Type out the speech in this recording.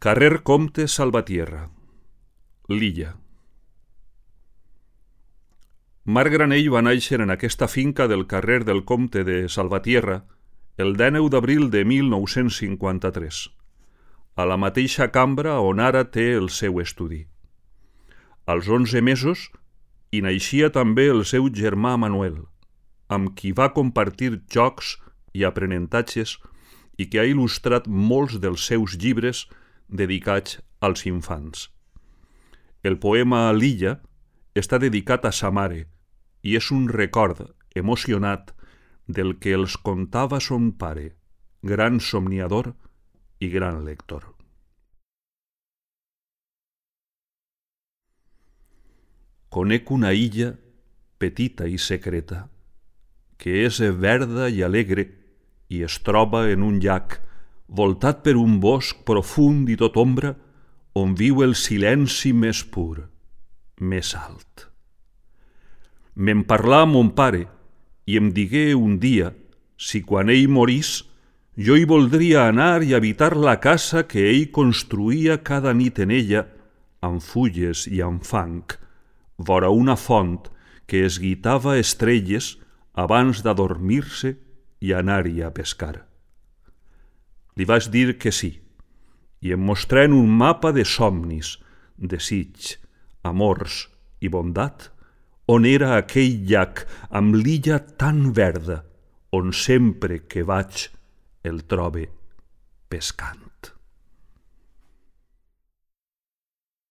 Carrer Comte Salvatierra, l'Illa. Marc Granell va néixer en aquesta finca del carrer del Comte de Salvatierra el 19 d'abril de 1953, a la mateixa cambra on ara té el seu estudi. Als 11 mesos hi naixia també el seu germà Manuel, amb qui va compartir jocs i aprenentatges i que ha il·lustrat molts dels seus llibres dedicats als infants. El poema L'Illa està dedicat a sa mare i és un record emocionat del que els contava son pare, gran somniador i gran lector. Conec una illa petita i secreta, que és verda i alegre i es troba en un llac voltat per un bosc profund i tot ombra on viu el silenci més pur, més alt. Me'n parlà mon pare i em digué un dia si quan ell morís jo hi voldria anar i habitar la casa que ell construïa cada nit en ella amb fulles i amb fang, vora una font que es guitava estrelles abans d'adormir-se i anar-hi a pescar. Li vaig dir que sí, i em mostrà en un mapa de somnis, desig, amors i bondat, on era aquell llac amb l'illa tan verda, on sempre que vaig el trobe pescant.